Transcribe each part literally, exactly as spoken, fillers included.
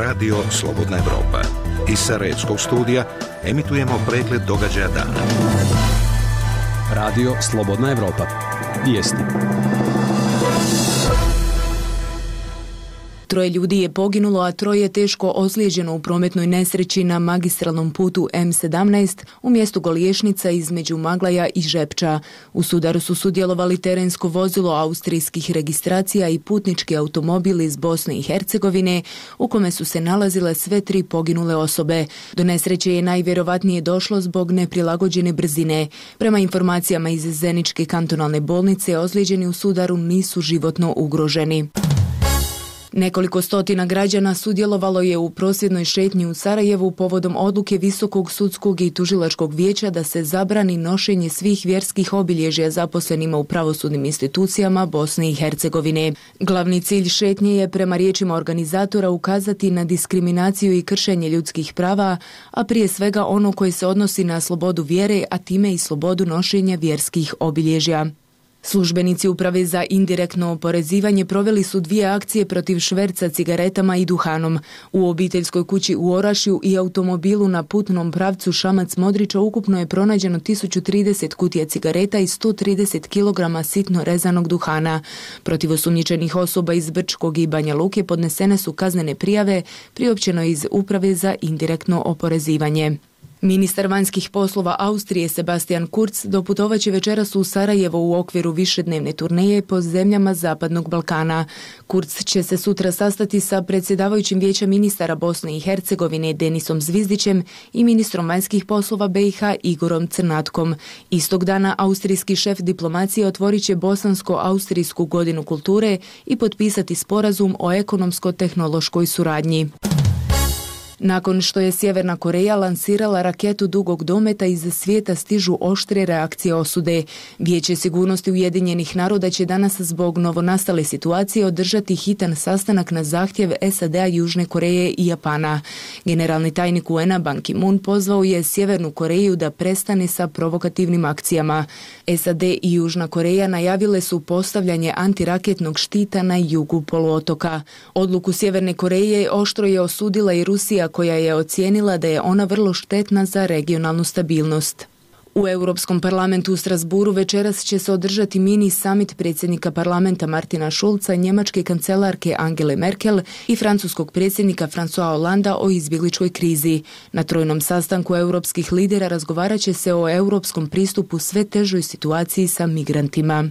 Radio Slobodna Evropa. Iz Sarajevskog studija emitujemo pregled događaja dana. Radio Slobodna Evropa. Vijesti. Troje ljudi je poginulo, a troje je teško ozlijeđeno u prometnoj nesreći na magistralnom putu em sedamnaest u mjestu Goliješnica između Maglaja i Žepča. U sudaru su sudjelovali terensko vozilo austrijskih registracija i putnički automobil iz Bosne i Hercegovine, u kome su se nalazile sve tri poginule osobe. Do nesreće je najvjerovatnije došlo zbog neprilagođene brzine. Prema informacijama iz Zeničke kantonalne bolnice, ozlijeđeni u sudaru nisu životno ugroženi. Nekoliko stotina građana sudjelovalo je u prosvjednoj šetnji u Sarajevu povodom odluke Visokog sudskog i tužilačkog vijeća da se zabrani nošenje svih vjerskih obilježja zaposlenima u pravosudnim institucijama Bosne i Hercegovine. Glavni cilj šetnje je, prema riječima organizatora, ukazati na diskriminaciju i kršenje ljudskih prava, a prije svega ono koje se odnosi na slobodu vjere, a time i slobodu nošenja vjerskih obilježja. Službenici Uprave za indirektno oporezivanje proveli su dvije akcije protiv šverca cigaretama i duhanom. U obiteljskoj kući u Orašju i automobilu na putnom pravcu Šamac-Modrića ukupno je pronađeno tisuću trideset kutija cigareta i sto trideset kilograma sitno rezanog duhana. Protiv osumnjičenih osoba iz Brčkog i Banja Luke podnesene su kaznene prijave, priopćeno iz Uprave za indirektno oporezivanje. Ministar vanjskih poslova Austrije Sebastian Kurz doputovaće večeras u Sarajevo u okviru višednevne turneje po zemljama Zapadnog Balkana. Kurz će se sutra sastati sa predsjedavajućim vijeća ministara Bosne i Hercegovine Denisom Zvizdićem i ministrom vanjskih poslova be i ha Igorom Crnatkom. Istog dana austrijski šef diplomacije otvorit će bosansko-austrijsku godinu kulture i potpisati sporazum o ekonomsko-tehnološkoj suradnji. Nakon što je Sjeverna Koreja lansirala raketu dugog dometa, iz svijeta stižu oštre reakcije osude. Vijeće sigurnosti Ujedinjenih naroda će danas zbog novonastale situacije održati hitan sastanak na zahtjev es a de a, Južne Koreje i Japana. Generalni tajnik u en a Ban Ki-moon pozvao je Sjevernu Koreju da prestane sa provokativnim akcijama. es a de i Južna Koreja najavile su postavljanje antiraketnog štita na jugu poluotoka. Odluku Sjeverne Koreje oštro je osudila i Rusija, koja je ocijenila da je ona vrlo štetna za regionalnu stabilnost. U Europskom parlamentu u Strasburu večeras će se održati mini summit predsjednika parlamenta Martina Schulza, njemačke kancelarke Angele Merkel i francuskog predsjednika François Hollanda o izbjegličkoj krizi. Na trojnom sastanku europskih lidera razgovarat će se o europskom pristupu sve težoj situaciji sa migrantima.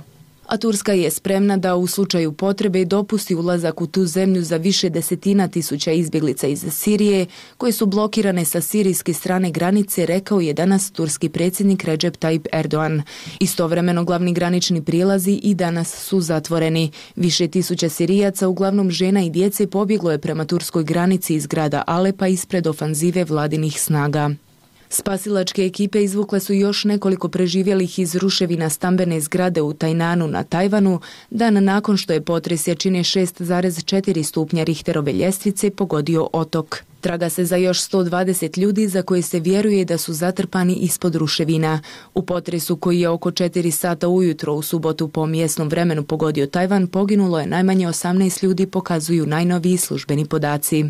A Turska je spremna da u slučaju potrebe dopusti ulazak u tu zemlju za više desetina tisuća izbjeglica iz Sirije, koje su blokirane sa sirijske strane granice, rekao je danas turski predsjednik Recep Tayyip Erdogan. Istovremeno glavni granični prijelazi i danas su zatvoreni. Više tisuća Sirijaca, uglavnom žena i djece, pobjeglo je prema turskoj granici iz grada Alepa ispred ofanzive vladinih snaga. Spasilačke ekipe izvukle su još nekoliko preživjelih iz ruševina stambene zgrade u Tajnanu na Tajvanu, dan nakon što je potres jačine šest zarez četiri stupnja Richterove ljestvice pogodio otok. Traga se za još sto dvadeset ljudi za koje se vjeruje da su zatrpani ispod ruševina. U potresu koji je oko četiri sata ujutro u subotu po mjesnom vremenu pogodio Tajvan, poginulo je najmanje osamnaest ljudi, pokazuju najnoviji službeni podaci.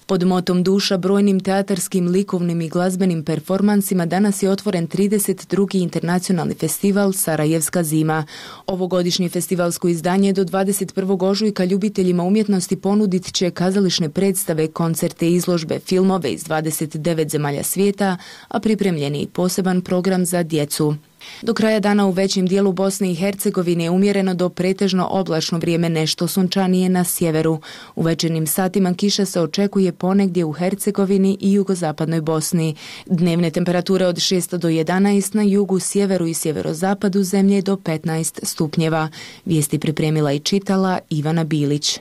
Pod motom duša brojnim teatarskim, likovnim i glazbenim performansima danas je otvoren trideset drugi internacionalni festival Sarajevska zima. Ovogodišnje festivalsko izdanje do dvadeset prvog ožujka ljubiteljima umjetnosti ponudit će kazališne predstave, koncerte, izložbe, filmove iz dvadeset devet zemalja svijeta, a pripremljen je i poseban program za djecu. Do kraja dana u većem dijelu Bosne i Hercegovine je umjereno do pretežno oblačno vrijeme, nešto sunčanije na sjeveru. U večernjim satima kiša se očekuje ponegdje u Hercegovini i jugozapadnoj Bosni. Dnevne temperature od šest do jedanaest, na jugu, sjeveru i sjeverozapadu zemlje do petnaest stupnjeva. Vijesti pripremila i čitala Ivana Bilić.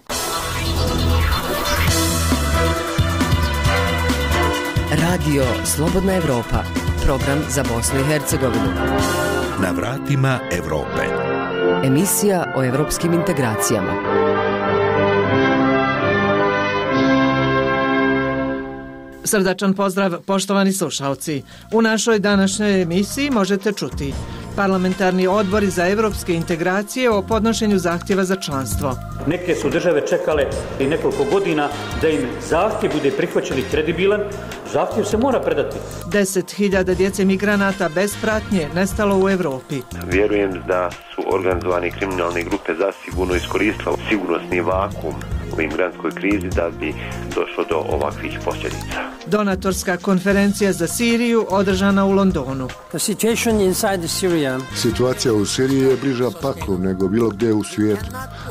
Radio Slobodna Evropa. Program za Bosnu i Hercegovinu. Na vratima Europe. Emisija o evropskim integracijama. Srdačan pozdrav, poštovani slušalci. U našoj današnjoj emisiji možete čuti: Parlamentarni odbori za evropske integracije o podnošenju zahtjeva za članstvo. Neke su države čekale i nekoliko godina da im zahtjev bude prihvaćen i kredibilan. Zahtjev se mora predati. Deset hiljada djece migranata bez pratnje nestalo u Evropi. Vjerujem da su organizovane kriminalne grupe zasigurno iskoristile sigurnosni vakuum u imigrantskoj krizi da bi došlo do ovakvih posljedica. Donatorska konferencija za Siriju održana u Londonu. Situacija u Siriji je bliža paklu nego bilo gdje u svijetu.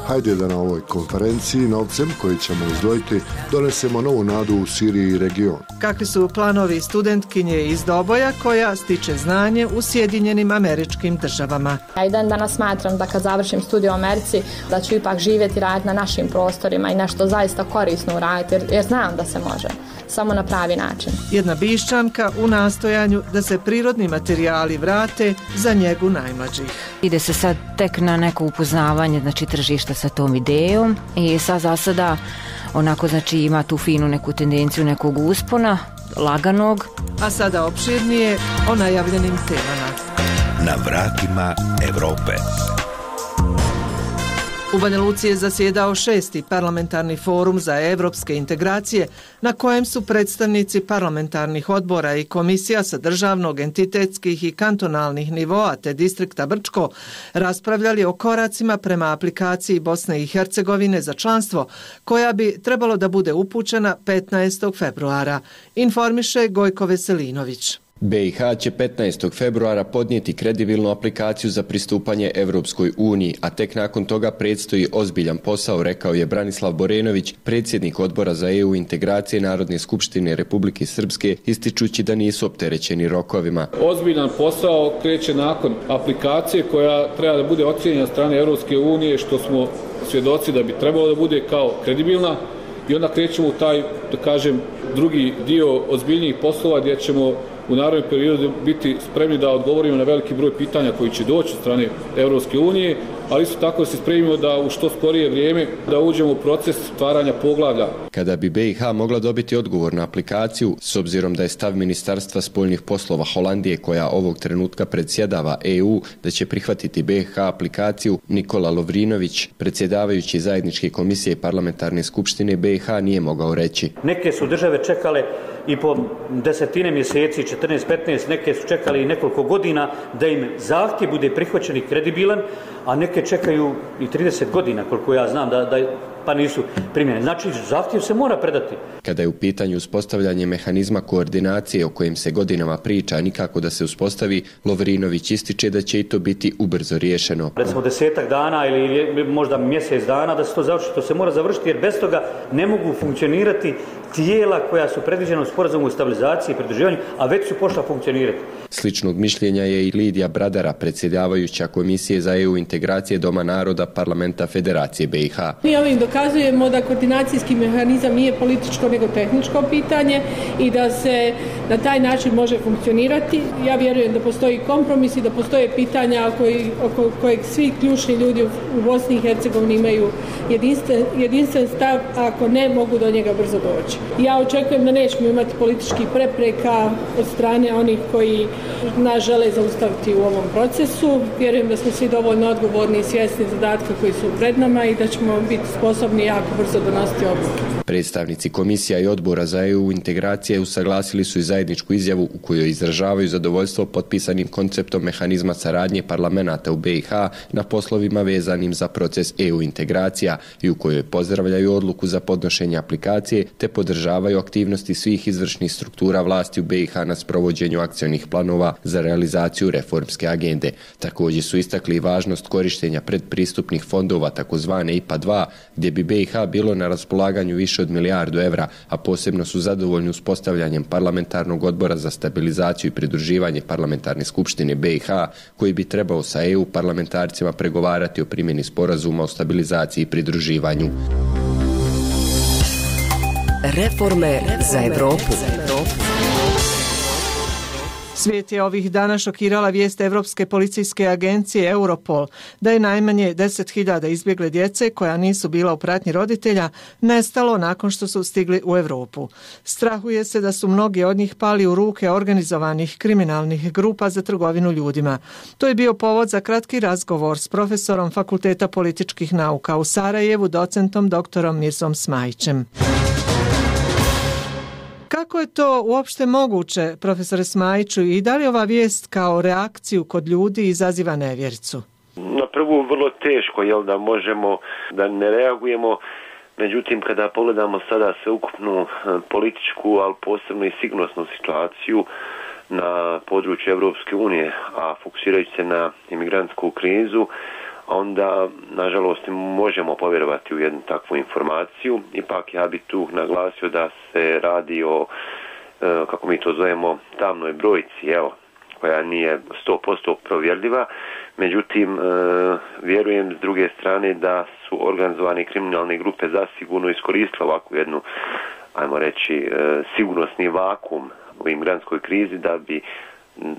Hajde da na ovoj konferenciji novcem koji ćemo izdvojiti donesemo novu nadu u Siriji i region. Kakvi su planovi studentkinje iz Doboja koja stiče znanje u Sjedinjenim Američkim Državama? Ja i dan danas smatram da kad završim studij u Americi da ću ipak živjeti i raditi na našim prostorima i nešto zaista korisno uraditi jer, jer znam da se može, samo na pravi način. Jedna Bišćanka u nastojanju da se prirodni materijali vrate za njegu najmlađih. Ide se sad tek na neko upoznavanje, znači tržišta sa tom idejom i sad za sada onako znači ima tu finu neku tendenciju nekog uspona, laganog. A sada opširnije o najavljenim temama. Na vratima Evrope. U Banja Luci je zasjedao šesti parlamentarni forum za evropske integracije na kojem su predstavnici parlamentarnih odbora i komisija sa državnog, entitetskih i kantonalnih nivoa te distrikta Brčko raspravljali o koracima prema aplikaciji Bosne i Hercegovine za članstvo koja bi trebalo da bude upućena petnaestog februara, informiše Gojko Veselinović. be i ha će petnaestog februara podnijeti kredibilnu aplikaciju za pristupanje Evropskoj uniji, a tek nakon toga predstoji ozbiljan posao, rekao je Branislav Borenović, predsjednik odbora za e u integracije Narodne skupštine Republike Srpske, ističući da nisu opterećeni rokovima. Ozbiljan posao kreće nakon aplikacije koja treba da bude ocijenjena od strane Evropske unije, što smo svjedoci da bi trebalo da bude kao kredibilna, i onda krećemo u taj, da kažem, drugi dio ozbiljnijih poslova gdje ćemo u narednom periodu biti spremni da odgovorimo na veliki broj pitanja koji će doći od strane Evropske unije, ali isto tako da se spremimo da u što skorije vrijeme da uđemo u proces stvaranja poglavlja. Kada bi be i ha mogla dobiti odgovor na aplikaciju, s obzirom da je stav Ministarstva spoljnih poslova Holandije, koja ovog trenutka predsjedava e u, da će prihvatiti be i ha aplikaciju, Nikola Lovrinović, predsjedavajući zajedničke komisije parlamentarne skupštine be i ha, nije mogao reći. Neke su države čekale i po desetine mjeseci, četrnaest petnaest, neke su čekali i nekoliko godina da im zahtjev bude prihvaćen i kredibilan, a neke čekaju i trideset godina, koliko ja znam, da, da pa nisu primjene. Znači, zahtjev se mora predati. Kada je u pitanju uspostavljanje mehanizma koordinacije o kojem se godinama priča, nikako da se uspostavi, Lovrinović ističe da će i to biti ubrzo riješeno. Recimo desetak dana ili možda mjesec dana da se to završi, to se mora završiti jer bez toga ne mogu funkcionirati tijela koja su predviđena u sporazumu o stabilizaciji i pridruživanju, a već su pošla funkcionirati. Sličnog mišljenja je i Lidija Bradara, predsjedavajuća Komisije za e u integracije Doma naroda Parlamenta Federacije be i ha. Mi ovim dokazujemo da koordinacijski mehanizam nije političko nego tehničko pitanje i da se na taj način može funkcionirati. Ja vjerujem da postoji kompromis i da postoje pitanja koji, oko kojeg svi ključni ljudi u Bosni i Hercegovini imaju jedinstven, jedinstven stav, a ako ne mogu do njega brzo doći. Ja očekujem da nećemo imati političkih prepreka od strane onih koji nas žele zaustaviti u ovom procesu. Vjerujem da smo svi dovoljno odgovorni i svjesni zadatka koji su pred nama i da ćemo biti sposobni jako brzo donositi odluke. Predstavnici komisija i odbora za e u integracije usaglasili su i zajedničku izjavu u kojoj izražavaju zadovoljstvo potpisanim konceptom mehanizma saradnje parlamenata u be i ha na poslovima vezanim za proces e u integracija i u kojoj pozdravljaju odluku za podnošenje aplikacije te podržavaju aktivnosti svih izvršnih struktura vlasti u be i ha na sprovođenju akcionih planova za realizaciju reformske agende. Također su istakli važnost korištenja predpristupnih fondova takozvane i pa dva, gdje bi be i ha bilo na raspolaganju više od milijardu evra, a posebno su zadovoljni uspostavljanjem parlamentarnog odbora za stabilizaciju i pridruživanje parlamentarne skupštine be i ha, koji bi trebao sa e u parlamentarcima pregovarati o primjeni sporazuma o stabilizaciji i pridruživanju. Reforme za Evropu. Svijet je ovih dana šokirala vijest Evropske policijske agencije Europol da je najmanje deset hiljada izbjegle djece koja nisu bila u pratnji roditelja nestalo nakon što su stigli u Europu. Strahuje se da su mnogi od njih pali u ruke organizovanih kriminalnih grupa za trgovinu ljudima. To je bio povod za kratki razgovor s profesorom Fakulteta političkih nauka u Sarajevu, docentom doktorom Mirzom Smajićem. Kako je to uopšte moguće, profesore Smajiću, i da li ova vijest kao reakciju kod ljudi izaziva nevjericu? Na prvu vrlo teško, jel, da možemo da ne reagujemo, međutim kada pogledamo sada sveukupnu političku, ali posebno i sigurnosnu situaciju na području Evropske unije, a fokusirajući se na imigrantsku krizu, onda, nažalost, možemo povjerovati u jednu takvu informaciju. Ipak ja bih tu naglasio da se radi o, kako mi to zovemo, tamnoj brojci, evo, koja nije sto posto provjerljiva. Međutim, vjerujem s druge strane da su organizovane kriminalne grupe zasigurno iskoristile ovakvu jednu, ajmo reći, sigurnosni vakum u imigrantskoj krizi da bi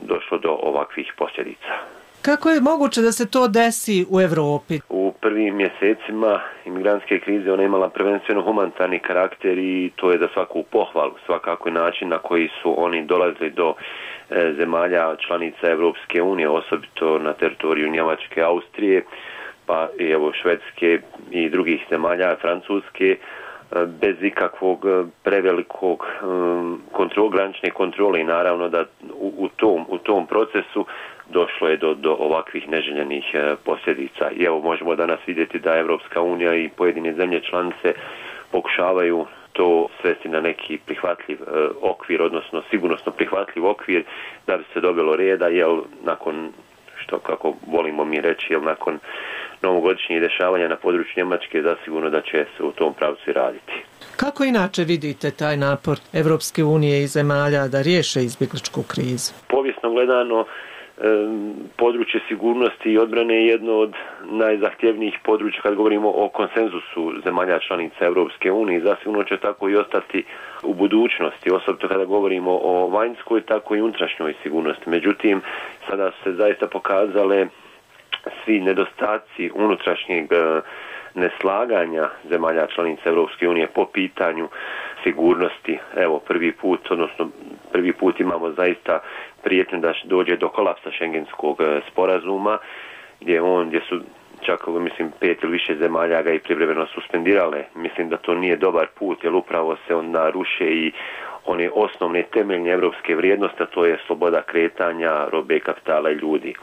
došlo do ovakvih posljedica. Kako je moguće da se to desi u Europi? U prvim mjesecima imigrantske krize ona je imala prvenstveno humanitarni karakter i to je za svaku pohvalu, svakako način na koji su oni dolazili do e, zemalja članica Evropske unije, osobito na teritoriju Njemačke, Austrije, pa i evo Švedske i drugih zemalja, Francuske, bez ikakvog prevelikog kontrol, granične kontrole i naravno da u, u, tom, u tom procesu došlo je do, do ovakvih neželjenih posljedica. I evo možemo danas vidjeti da Evropska unija i pojedine zemlje članice pokušavaju to svesti na neki prihvatljiv e, okvir, odnosno sigurnosno prihvatljiv okvir da bi se dobilo reda, jel nakon što, kako volimo mi reći, jel nakon novogodišnjih dešavanja na području Njemačke, zasigurno da će se u tom pravcu raditi. Kako inače vidite taj napor Evropske unije i zemalja da riješe izbjegličku krizu? Povijesno gledano, područje sigurnosti i odbrane je jedno od najzahtjevnijih područja kad govorimo o konsenzusu zemalja članica Evropske unije. Zasigurno će tako i ostati u budućnosti, osobito kada govorimo o vanjskoj, tako i unutrašnjoj sigurnosti. Međutim, sada su se zaista pokazale svi nedostaci unutrašnjeg neslaganja zemalja članica Evropske unije po pitanju sigurnosti. Evo, prvi put, odnosno prvi put imamo zaista prijetnju da dođe do kolapsa Schengenskog sporazuma, gdje on, gdje su čak, mislim, pet ili više zemalja ga i privremeno suspendirale. Mislim da to nije dobar put, jer upravo se onda ruše i one osnovne temeljne evropske vrijednosti, a to je sloboda kretanja, robe, kapitala i ljudi.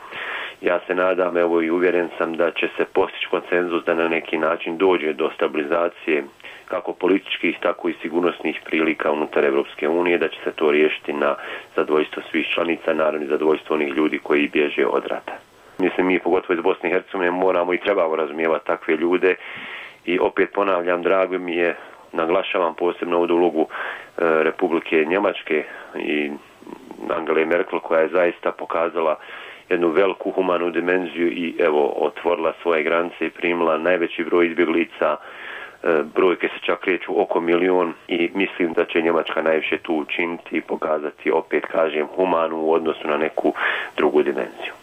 Ja se nadam, evo i uvjeren sam da će se postići konsenzus da na neki način dođe do stabilizacije kako političkih, tako i sigurnosnih prilika unutar Evropske unije, da će se to riješiti na zadovoljstvo svih članica, naravno i zadovoljstvo onih ljudi koji bježe od rata. Mislim, mi pogotovo iz Bosne i Hercegovine moramo i trebamo razumijevati takve ljude i opet ponavljam, drago mi je, naglašavam posebno ovdje ulogu e, Republike Njemačke i Angele Merkel, koja je zaista pokazala jednu veliku humanu dimenziju i evo otvorila svoje granice i primila najveći broj izbjeglica. Brojke se čak kreću oko milion i mislim da će Njemačka najviše tu učiniti i pokazati, opet kažem, humanu u odnosu na neku drugu dimenziju.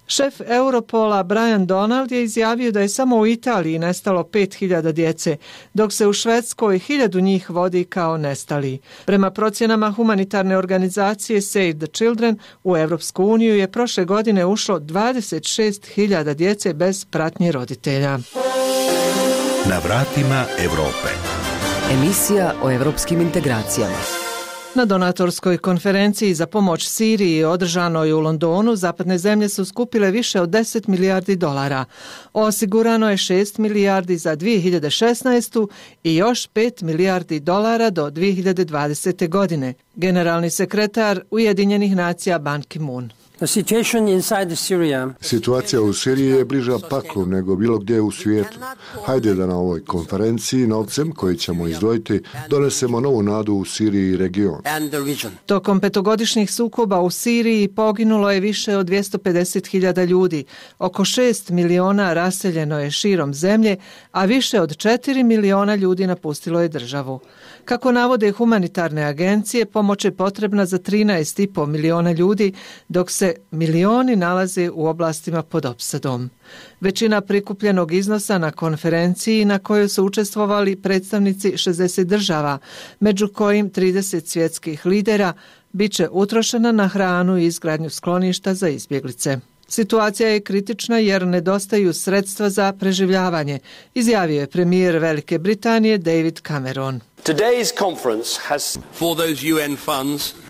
Šef Europola Brian Donald je izjavio da je samo u Italiji nestalo pet hiljada djece, dok se u Švedskoj hiljadu njih vodi kao nestali. Prema procjenama humanitarne organizacije Save the Children, u Europsku uniju je prošle godine ušlo dvadeset šest hiljada djece bez pratnje roditelja. Na vratima Europe. Emisija o europskim integracijama. Na donatorskoj konferenciji za pomoć Siriji održanoj u Londonu, zapadne zemlje su skupile više od deset milijardi dolara. Osigurano je šest milijardi za dvije hiljade šesnaestu. i još pet milijardi dolara do dvije hiljade dvadesete. godine. Generalni sekretar Ujedinjenih nacija Ban Ki-moon. Situacija u Siriji je bliža paklu nego bilo gdje u svijetu. Hajde da na ovoj konferenciji novcem koji ćemo izdvojiti donesemo novu nadu u Siriji i region. Tokom petogodišnjih sukoba u Siriji poginulo je više od dvjesto pedeset hiljada ljudi. Oko šest miliona raseljeno je širom zemlje, a više od četiri miliona ljudi napustilo je državu. Kako navode humanitarne agencije, pomoć je potrebna za trinaest i po miliona ljudi, dok se milioni nalaze u oblastima pod opsadom. Većina prikupljenog iznosa na konferenciji na kojoj su učestvovali predstavnici šezdeset država, među kojim trideset svjetskih lidera, bit će utrošena na hranu i izgradnju skloništa za izbjeglice. Situacija je kritična jer nedostaju sredstva za preživljavanje, izjavio je premijer Velike Britanije David Cameron.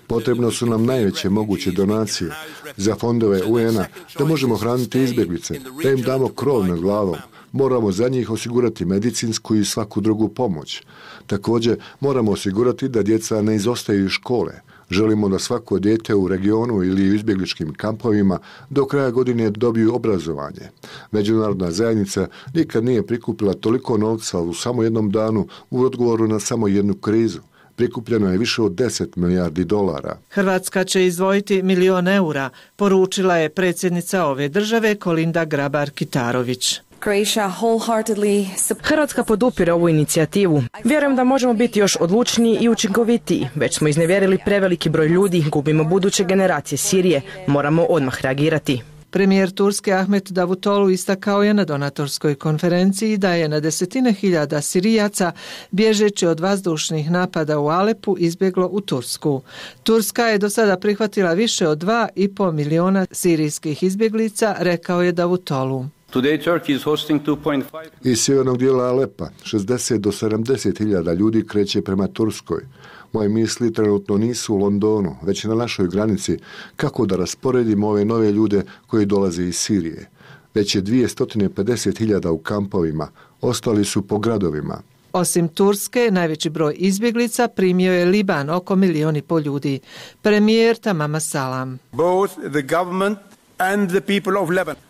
Potrebno su nam najveće moguće donacije za fondove U N-a da možemo hraniti izbjeglice, da im damo krov nad glavom. Moramo za njih osigurati medicinsku i svaku drugu pomoć. Također moramo osigurati da djeca ne izostaju iz škole. Želimo da svako dijete u regionu ili u izbjegličkim kampovima do kraja godine dobiju obrazovanje. Međunarodna zajednica nikad nije prikupila toliko novca u samo jednom danu u odgovoru na samo jednu krizu. Prikupljeno je više od deset milijardi dolara. Hrvatska će izdvojiti milion eura, poručila je predsjednica ove države Kolinda Grabar-Kitarović. Hrvatska podupire ovu inicijativu. Vjerujem da možemo biti još odlučniji i učinkovitiji. Već smo iznevjerili preveliki broj ljudi, gubimo buduće generacije Sirije. Moramo odmah reagirati. Premijer Turske Ahmet Davutoglu istakao je na donatorskoj konferenciji da je na desetine hiljada Sirijaca, bježeći od vazdušnih napada u Alepu, izbjeglo u Tursku. Turska je do sada prihvatila više od dva i pol miliona sirijskih izbjeglica, rekao je Davutoglu. Iz sjevernog dijela Alepa šezdeset do sedamdeset hiljada ljudi kreće prema Turskoj. Moje misli trenutno nisu u Londonu, već na našoj granici, kako da rasporedimo ove nove ljude koji dolaze iz Sirije. Već je dvjesto pedeset hiljada u kampovima, ostali su po gradovima. Osim Turske, najveći broj izbjeglica primio je Liban, oko milion i pol ljudi. Premijer Tamama Salam. Both the government and the people of Lebanon.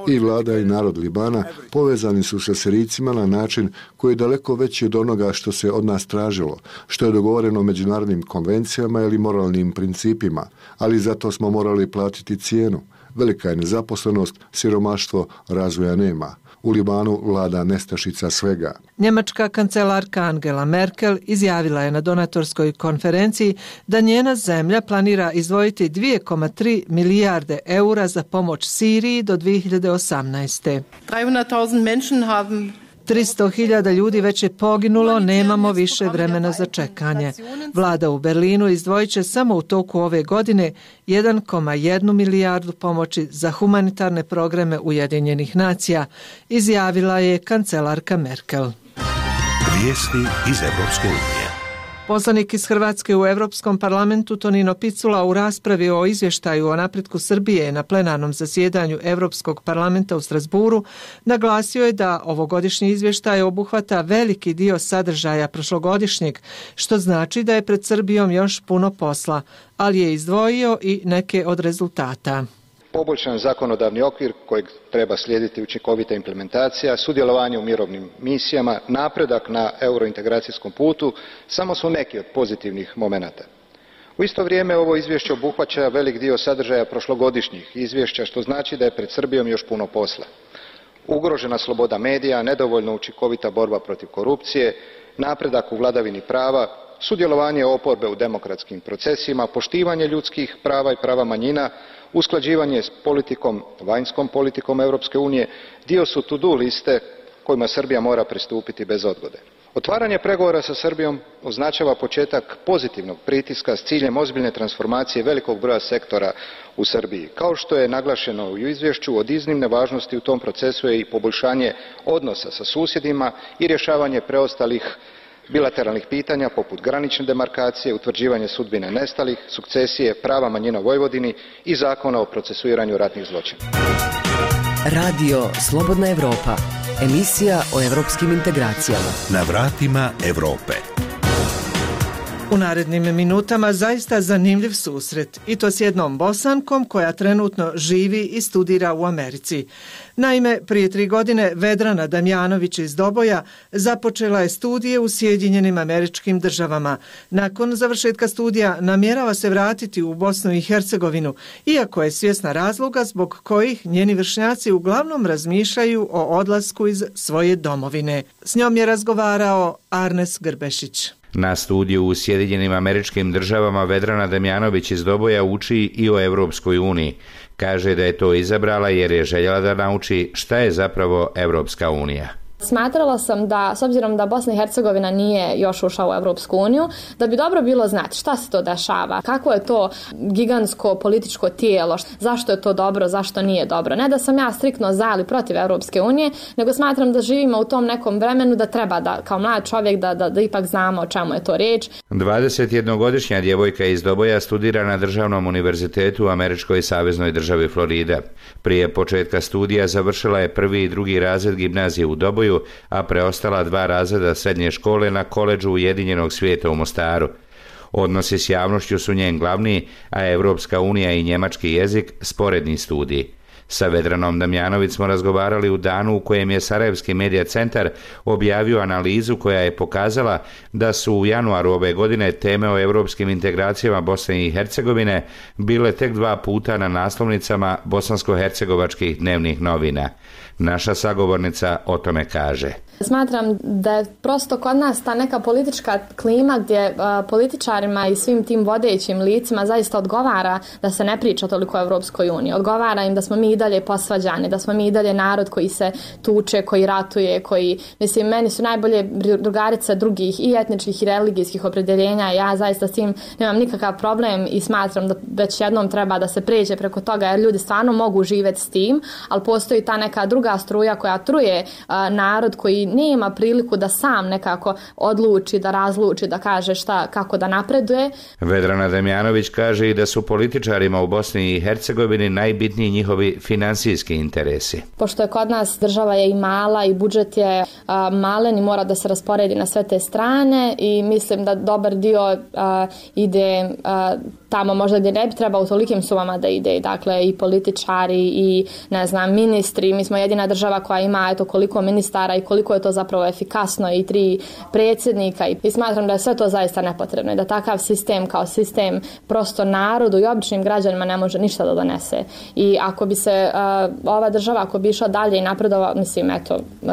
I vlada i narod Libana povezani su sa Sirijcima na način koji je daleko veći od onoga što se od nas tražilo, što je dogovoreno međunarodnim konvencijama ili moralnim principima, ali zato smo morali platiti cijenu. Velika je nezaposlenost, siromaštvo, razvoja nema. U Libanu vlada nestašica svega. Njemačka kancelarka Angela Merkel izjavila je na donatorskoj konferenciji da njena zemlja planira izdvojiti dvije zarez tri milijarde eura za pomoć Siriji do dvije hiljade osamnaeste. tristo hiljada ljudi već je poginulo, nemamo više vremena za čekanje. Vlada u Berlinu izdvojit će samo u toku ove godine jedan zarez jedan milijardu pomoći za humanitarne programe Ujedinjenih nacija, izjavila je kancelarka Merkel. Vijesti iz Europske unije. Poslanik iz Hrvatske u Europskom parlamentu Tonino Picula u raspravi o izvještaju o napretku Srbije na plenarnom zasjedanju Europskog parlamenta u Strasburu naglasio je da ovogodišnji izvještaj obuhvata veliki dio sadržaja prošlogodišnjeg, što znači da je pred Srbijom još puno posla, ali je izdvojio i neke od rezultata. Poboljšan zakonodavni okvir kojeg treba slijediti učinkovita implementacija, sudjelovanje u mirovnim misijama, napredak na eurointegracijskom putu samo su neki od pozitivnih momenata. U isto vrijeme ovo izvješće obuhvaća velik dio sadržaja prošlogodišnjih izvješća, što znači da je pred Srbijom još puno posla. Ugrožena sloboda medija, nedovoljno učinkovita borba protiv korupcije, napredak u vladavini prava, sudjelovanje oporbe u demokratskim procesima, poštivanje ljudskih prava i prava manjina, usklađivanje s politikom, vanjskom politikom Europske unije, dio su to-do liste kojima Srbija mora pristupiti bez odgode. Otvaranje pregovora sa Srbijom označava početak pozitivnog pritiska s ciljem ozbiljne transformacije velikog broja sektora u Srbiji. Kao što je naglašeno u izvješću, od iznimne važnosti u tom procesu je i poboljšanje odnosa sa susjedima i rješavanje preostalih bilateralnih pitanja poput granične demarkacije, utvrđivanje sudbine nestalih, sukcesije, prava manjina u Vojvodini i zakona o procesuiranju ratnih zločina. Radio Slobodna Evropa, emisija o evropskim integracijama. Na vratima Europe. U narednim minutama zaista zanimljiv susret, i to s jednom Bosankom koja trenutno živi i studira u Americi. Naime, prije tri godine Vedrana Damjanović iz Doboja započela je studije u Sjedinjenim Američkim Državama. Nakon završetka studija namjerava se vratiti u Bosnu i Hercegovinu, iako je svjesna razloga zbog kojih njeni vršnjaci uglavnom razmišljaju o odlasku iz svoje domovine. S njom je razgovarao Arnes Grbešić. Na studiju u Sjedinjenim Američkim Državama Vedrana Damjanović iz Doboja uči i o Europskoj uniji. Kaže da je to izabrala jer je željela da nauči šta je zapravo Europska unija. Smatrala sam da, s obzirom da Bosna i Hercegovina nije još ušla u Europsku uniju, da bi dobro bilo znati šta se to dešava, kako je to gigantsko političko tijelo, zašto je to dobro, zašto nije dobro. Ne da sam ja striktno za ili protiv Europske unije, nego smatram da živimo u tom nekom vremenu da treba da, kao mlad čovjek, da, da, da ipak znamo o čemu je to riječ. dvadesetjednogodišnja djevojka iz Doboja studira na Državnom univerzitetu u Američkoj saveznoj državi Florida. Prije početka studija završila je prvi i drugi razred gimnazije u Doboju, a preostala dva razreda srednje škole na koledžu Ujedinjenog svijeta u Mostaru. Odnosi s javnošću su njen glavni, a Europska unija i njemački jezik sporedni studij. Sa Vedranom Damjanović smo razgovarali u danu u kojem je Sarajevski medija centar objavio analizu koja je pokazala da su u januaru ove godine teme o europskim integracijama Bosne i Hercegovine bile tek dva puta na naslovnicama bosansko-hercegovačkih dnevnih novina. Naša sagovornica o tome kaže. Smatram da je prosto kod nas ta neka politička klima gdje a, političarima i svim tim vodećim licima zaista odgovara da se ne priča toliko o Europskoj uniji. Odgovara im da smo mi i dalje posvađani, da smo mi i dalje narod koji se tuče, koji ratuje, koji, mislim, meni su najbolje drugarice drugih i etničkih i religijskih opredjeljenja. Ja zaista s tim nemam nikakav problem i smatram da već jednom treba da se pređe preko toga jer ljudi stvarno mogu živjeti s tim, ali postoji ta neka druga struja koja truje a, narod koji nema priliku da sam nekako odluči, da razluči, da kaže šta, kako da napreduje. Vedrana Damjanović kaže i da su političarima u Bosni i Hercegovini najbitniji njihovi finansijski interesi. Pošto je kod nas država je i mala i budžet je a, malen i mora da se rasporedi na sve te strane i mislim da dobar dio a, ide a, tamo možda gdje ne bi trebao u tolikim sumama da ide. Dakle, i političari i, ne znam, ministri. Mi smo jedina država koja ima eto koliko ministara i koliko je to zapravo efikasno i tri predsjednika i smatram da je sve to zaista nepotrebno i da takav sistem kao sistem prosto narodu i običnim građanima ne može ništa da donese. I ako bi se uh, ova država, ako bi išla dalje i napredovala, mislim, eto, uh,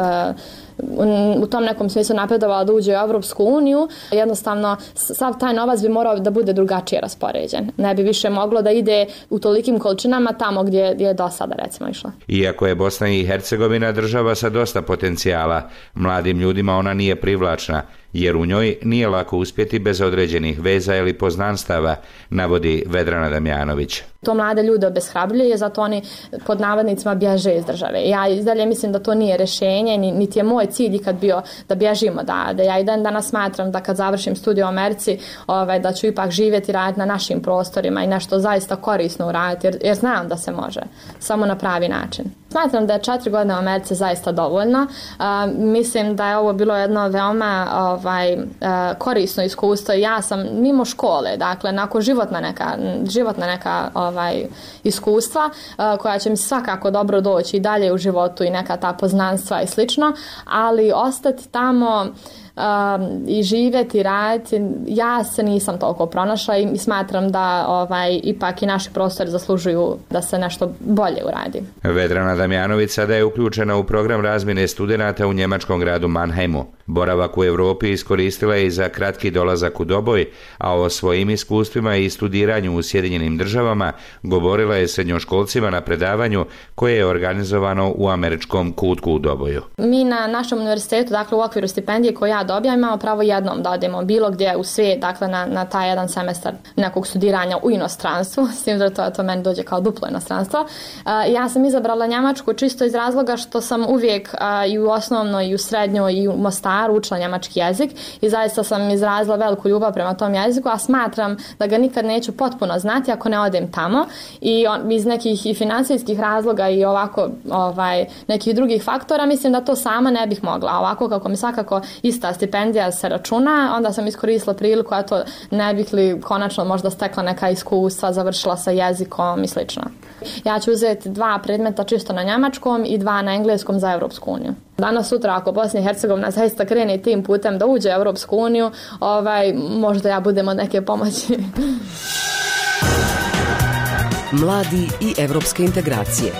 u tom nekom smislu napredovala da uđe u Europsku uniju, jednostavno sav taj novac bi morao da bude drugačije raspoređen. Ne bi više moglo da ide u tolikim količinama tamo gdje, gdje je do sada recimo išla. Iako je Bosna i Hercegovina država sa dosta potencijala, mladim ljudima ona nije privlačna, jer u njoj nije lako uspjeti bez određenih veza ili poznanstava, navodi Vedrana Damjanović. To mlade ljude obeshrabljuje, zato oni pod navodnicima bježe iz države. Ja i dalje mislim da to nije rješenje, niti je moj cilj ikad bio da bježimo, da, da ja i dan danas smatram da kad završim studij u Americi, ovaj, da ću ipak živjeti i raditi na našim prostorima i nešto zaista korisno uraditi, jer, jer znam da se može, samo na pravi način. Smatram da je četiri godine u Americi zaista dovoljno. Uh, mislim da je ovo bilo jedno veoma ovaj, uh, korisno iskustvo. Ja sam mimo škole, dakle, nakon životna neka, životna neka ovaj, iskustva uh, koja će mi svakako dobro doći i dalje u životu i neka ta poznanstva i slično, ali ostati tamo Um, i živjeti, raditi, ja se nisam toliko pronašla i smatram da ovaj, ipak i naši prostori zaslužuju da se nešto bolje uradi. Vedrana Damjanović sada je uključena u program razmjene studenata u njemačkom gradu Mannheimu. Boravak u Europi iskoristila je i za kratki dolazak u Doboj, a o svojim iskustvima i studiranju u Sjedinjenim Državama govorila je srednjoškolcima na predavanju koje je organizovano u američkom kutku u Doboju. Mi na našem univerzitetu, dakle u okviru stipendije koju ja dobijam, imamo pravo jednom da odemo bilo gdje u svijet, dakle na, na taj jedan semestar nekog studiranja u inostranstvu, s tim da to, to meni dođe kao duplo inostranstvo. Uh, ja sam izabrala Njemačku čisto iz razloga što sam uvijek uh, i u osnovnoj i u srednjoj i u Mostaru učila njemački jezik i zaista sam izrazila veliku ljubav prema tom jeziku, a smatram da ga nikad neću potpuno znati ako ne odem tamo i on, iz nekih i financijskih razloga i ovako ovaj, nekih drugih faktora mislim da to sama ne bih mogla. Ovako kako mi svakako ista stipendija se računa, onda sam iskoristila priliku, a to ne bih li konačno možda stekla neka iskustva, završila sa jezikom i slično. Ja ću uzeti dva predmeta čisto na njemačkom i dva na engleskom za Europsku uniju. Danas sutra ako Bosna i Hercegovina zaista krene tim putem da uđe u Europsku uniju, ovaj, možda ja budem od neke pomoći. Mladi i evropske integracije.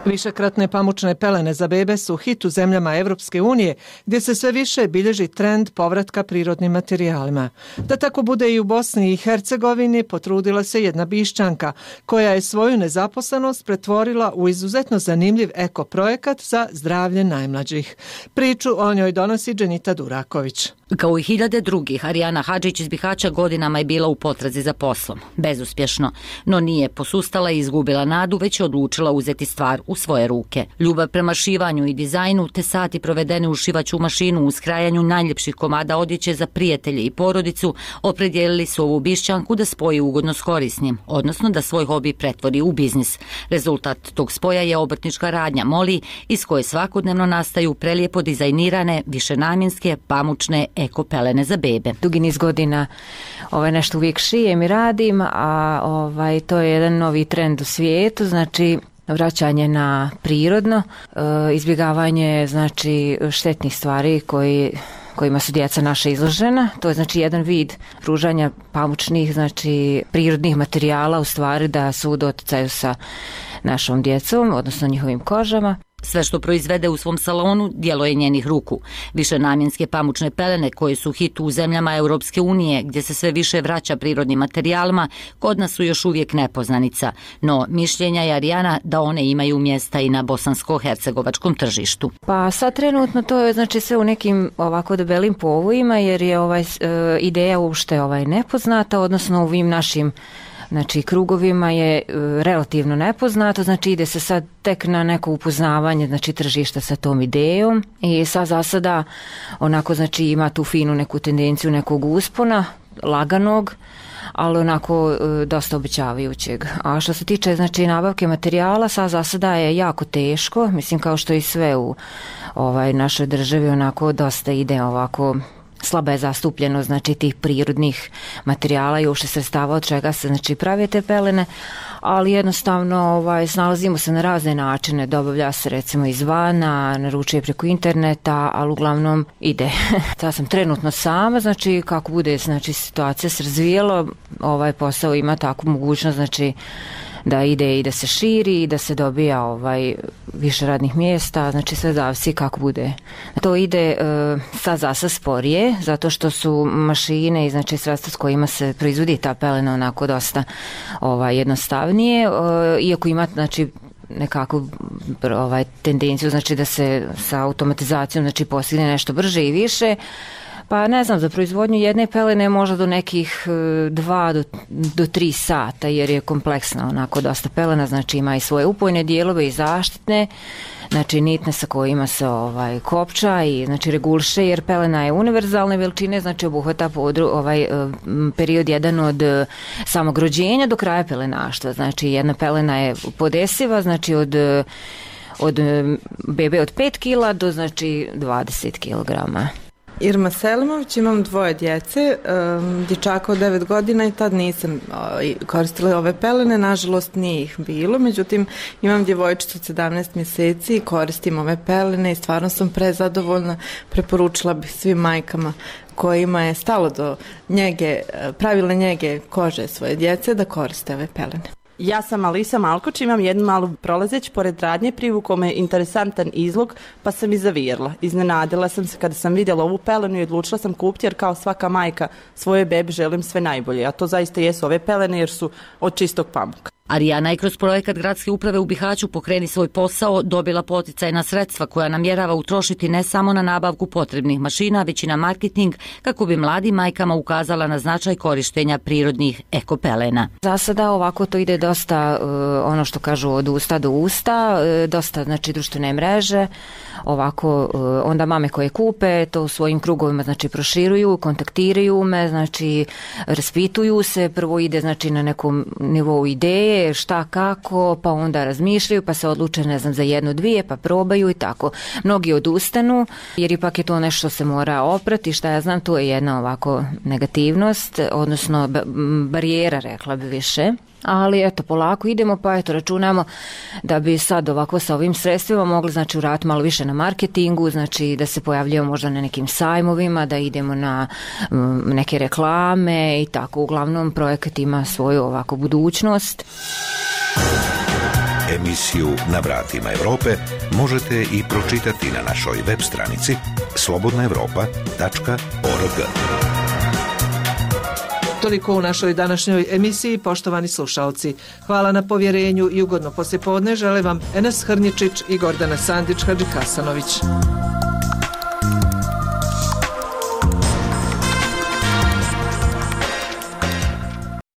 Višekratne pamučne pelene za bebe su hit u zemljama Evropske unije, gdje se sve više bilježi trend povratka prirodnim materijalima. Da tako bude i u Bosni i Hercegovini, potrudila se jedna Bišćanka, koja je svoju nezaposlenost pretvorila u izuzetno zanimljiv eko projekat za zdravlje najmlađih. Priču o njoj donosi Dženita Duraković. Kao i hiljade drugih, Arijana Hadžić iz Bihaća godinama je bila u potrazi za poslom. Bezuspješno, no nije posustala i izgubila nadu, već je odlučila uzeti stvar u svoje ruke. Ljubav prema šivanju i dizajnu, te sati provedene u šivaću mašinu u skrajanju najljepših komada odjeće za prijatelje i porodicu, opredijelili su ovu Bišćanku da spoji ugodno s korisnim, odnosno da svoj hobi pretvori u biznis. Rezultat tog spoja je obrtnička radnja Moli, iz koje svakodnevno nastaju prelijepo dizajnirane, višenamjenske, pamučne eko pelene za bebe. Dugi niz godina ovaj, nešto uvijek šijem i radim, a ovaj, to je jedan novi trend u svijetu, znači vraćanje na prirodno, e, izbjegavanje znači štetnih stvari koji kojima su djeca naša izložena. To je znači jedan vid pružanja pamučnih, znači prirodnih materijala u stvari da su u doticaju sa našom djecom, odnosno njihovim kožama. Sve što proizvede u svom salonu djelo je njenih ruku. Višenamjenske pamučne pelene koje su hit u zemljama Europske unije, gdje se sve više vraća prirodnim materijalima, kod nas su još uvijek nepoznanica. No, mišljenja je Arijana da one imaju mjesta i na bosansko-hercegovačkom tržištu. Pa sad trenutno to je znači sve u nekim ovako debelim povojima, jer je ovaj, e, ideja uopšte ovaj nepoznata, odnosno u ovim našim znači krugovima je e, relativno nepoznato, znači ide se sad tek na neko upoznavanje znači tržišta sa tom idejom i sad za sada onako znači ima tu finu neku tendenciju nekog uspona, laganog, ali onako e, dosta obećavajućeg. A što se tiče znači nabavke materijala, sad za sada je jako teško, mislim kao što i sve u ovaj našoj državi onako dosta ide ovako slaba je zastupljeno znači tih prirodnih materijala i uopšte sredstava od čega se znači prave te pelene, ali jednostavno ovaj, snalazimo se na razne načine, dobavlja se recimo izvana, naručuje preko interneta, ali uglavnom ide. Ja sam trenutno sama, znači kako bude znači situacija se razvijela, ovaj posao ima takvu mogućnost znači da ide i da se širi i da se dobija ovaj više radnih mjesta, znači sve zavisi kako bude. To ide e, sad zasa sporije, zato što su mašine i znači sredstva s kojima se proizvodi ta pelena onako dosta ovaj, jednostavnije, e, iako ima znači nekakvu ovaj, tendenciju znači da se sa automatizacijom znači postigne nešto brže i više. Pa ne znam, za proizvodnju jedne pelene možda do nekih dva do, do tri sata, jer je kompleksna onako dosta pelena, znači ima i svoje upojne dijelove i zaštitne, znači nitne sa kojima se ovaj, kopča i znači regulše, jer pelena je univerzalne veličine, znači obuhvata podru, ovaj, period jedan od samog rođenja do kraja pelenaštva, znači jedna pelena je podesiva, znači od od bebe od pet kila do znači dvadeset kilograma. Irma Selimović, imam dvoje djece, um, dječaka od devet godina i tad nisam uh, koristila ove pelene, nažalost nije ih bilo, međutim imam djevojčicu od sedamnaest mjeseci i koristim ove pelene i stvarno sam prezadovoljna, preporučila bih svim majkama kojima je stalo do njege, pravilne njege kože svoje djece da koriste ove pelene. Ja sam Alisa Malkoč, imam jednu malu prolazeć pored radnje, privukao me interesantan izlog, pa sam i zavirla. Iznenadila sam se kada sam vidjela ovu pelenu i odlučila sam kupiti, jer kao svaka majka svoje bebi želim sve najbolje, a to zaista jesu ove pelene jer su od čistog pamuka. Arijana je kroz projekat Gradske uprave u Bihaću Pokreni svoj posao dobila poticajna sredstva koja namjerava utrošiti ne samo na nabavku potrebnih mašina, već i na marketing kako bi mladim majkama ukazala na značaj korištenja prirodnih ekopelena. Za sada ovako to ide dosta ono što kažu od usta do usta, dosta znači društvene mreže, ovako onda mame koje kupe to u svojim krugovima znači proširuju, kontaktiraju me, znači raspituju se, prvo ide znači na nekom nivou ideje gde, šta, kako, pa onda razmišljaju, pa se odluče, ne znam, za jednu, dvije, pa probaju i tako. Mnogi odustanu, jer ipak je to nešto što se mora oprati, šta ja znam, tu je jedna ovako negativnost, odnosno barijera, rekla bi više. Ali eto, polako idemo, pa eto, računamo da bi sad ovako sa ovim sredstvima mogli, znači, uraditi malo više na marketingu, znači da se pojavljujemo možda na nekim sajmovima, da idemo na m, neke reklame i tako. Uglavnom, projekat ima svoju ovako budućnost. Emisiju Na vratima Evrope možete i pročitati na našoj web stranici slobodna evropa tačka org. Toliko u našoj današnjoj emisiji, poštovani slušalci. Hvala na povjerenju i ugodno poslijepodne žele vam Enes Hrnjičić i Gordana Sandić-Hadžikasanović.